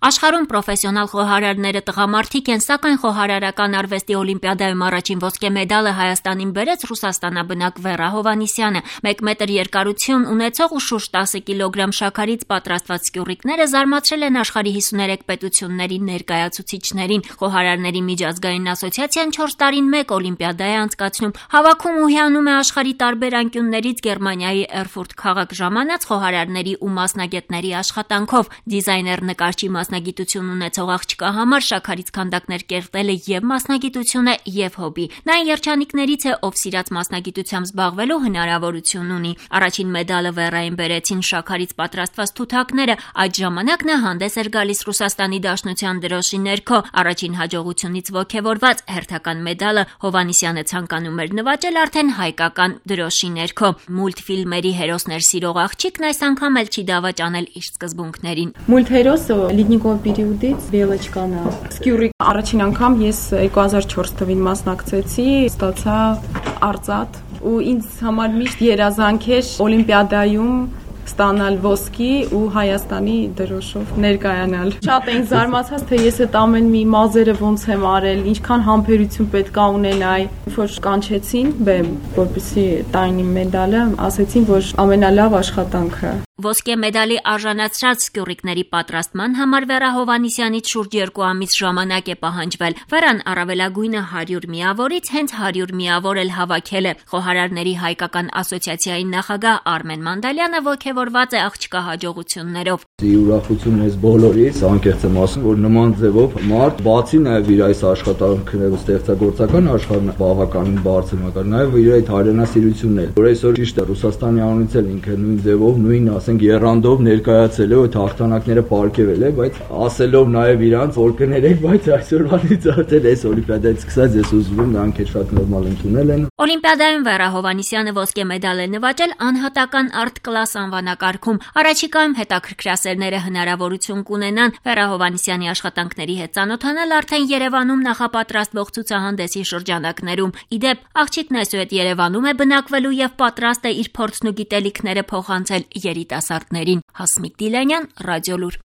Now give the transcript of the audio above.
Աշխարհում պրոֆեսիոնալ խոհարարները տղամարդիկ են, սակայն խոհարարական արվեստի օլիմպիադայում առաջին ոսկե մեդալը Հայաստանին բերեց Ռուսաստանաբնակ Վերա Հովհաննիսյանը։ 1 մետր երկարություն ունեցող ու շուրջ 10 կիլոգրամ շաքարից պատրաստված սկյուռիկները զարմացրել են աշխարհի 53 պետությունների ներկայացուցիչներին։ Խոհարարների միջազգային ասոցիացիան 4 տարին մեկ օլիմպիադա է անցկացնում։ Հավաքում ու հիանում է աշխարհի տարբեր անկյուններից Գերմանիայի Էրֆուրտ քաղաք ժամանած խոհարարների ու մասնագետների աշխատանքով։ Դիզայներ նկարչի մասնագիտություն ունեցող աղջկա համար շաքարից քանդակներ կերտելը եւ մասնագիտություն է եւ հոբի։ Նա այն երջանիկներից է, ով սիրած մասնագիտությամբ զբաղվելու հնարավորություն ունի։ Առաջին մեդալը Վերային բերեցին շաքարից պատրաստված թութակները։ Այդ ժամանակ նա հանդես էր գալիս Ռուսաստանի Դաշնության դրոշի ներքո։ Առաջին հաջողությունից ոգևորված հերթական մեդալը Հովհաննիսյանը ցանկանում էր նվաճել արդեն հայկական դրոշի ներքո։ Մուլտֆիլմերի հերոսներ սիրող աղջիկն այս անգամ էլ չի դավաճանել իր սկզբունքներին։ Մուլտհերոսը Լիդնիկովի պերիոդից Բելոչկան է։ Սկյուռի առաջին անգամ ես 2004 թվականին մասնակցեցի, ստացա արծաթ ու ինձ համար միշտ երազանք էր օլիմպիադայում ստանալ ոսկի ու Հայաստանի դրոշով ներկայանալ։ Շատ էին զարմացած, թե ես այդ ամեն մի մազերը ոնց եմ արել, ինչքան համբերություն պետք է ունենայի։ Որ կանչեցին բեմ, որպեսզի տային իմ մեդալը, ասեցին, որ ամենալավ աշխատանքը։ Ոսկե մեդալի արժանացած սկյուռիկների պատրաստման համար Վերա Հովհաննիսյանից շուրջ 2 ամիս ժամանակ է պահանջվել։ Վերան առավելագույնը 100 միավորից հենց 100 միավոր էլ հավաքել է։ Խոհարարների հայկական ասոցիացիայի նախագահ Արմեն Մանդալյանը ոգևորված է աղջկա հաջողություններով։ Ուրախություն մեզ բոլորից, անկեղծ եմ ասում, որ նման ձևով մարդ բացի նաև իր այս աշխատանքներով ստեղծագործական աշխարհն բավականին բարձր մակար, նաև իր այդ հայրենասիրությունն է, որ այսօր ճիշտ է Ռուսաստանի անունից էլ ինքը նույն ձևով, նույն ասենք եռանդով ներկայացել է, այդ հաղթանակները պարգևել է, բայց ասելով նաև իրանց որ կներեք, բայց այսօրվանից արդեն այս օլիմպիադայից սկսած ես ուզում եմ նրանք շատ նորմալ ընդունել են։ Օլիմպիադայում Վերա Հովհաննիսյանը ոսկե մեդալ է նվաճել անհատական արտ-կլաս անվանակարգում։ Առաջիկայում հետաքրքրասերները հնարավորություն կունենան Վերա Հովհաննիսյանի աշխատանքների հետ ծանոթանալ արդեն Երևանում նախապատրաստվող ցուցահանդեսի շրջանակներում։ Իդեպ, աղջիկն այսուհետ Երևանում է բնակվելու եւ պատրաստ է իր փորձն ու գիտելիքները փոխանցել երիտասարդներին։ Հասմիկ Դիլանյան, Ռադիոլուր։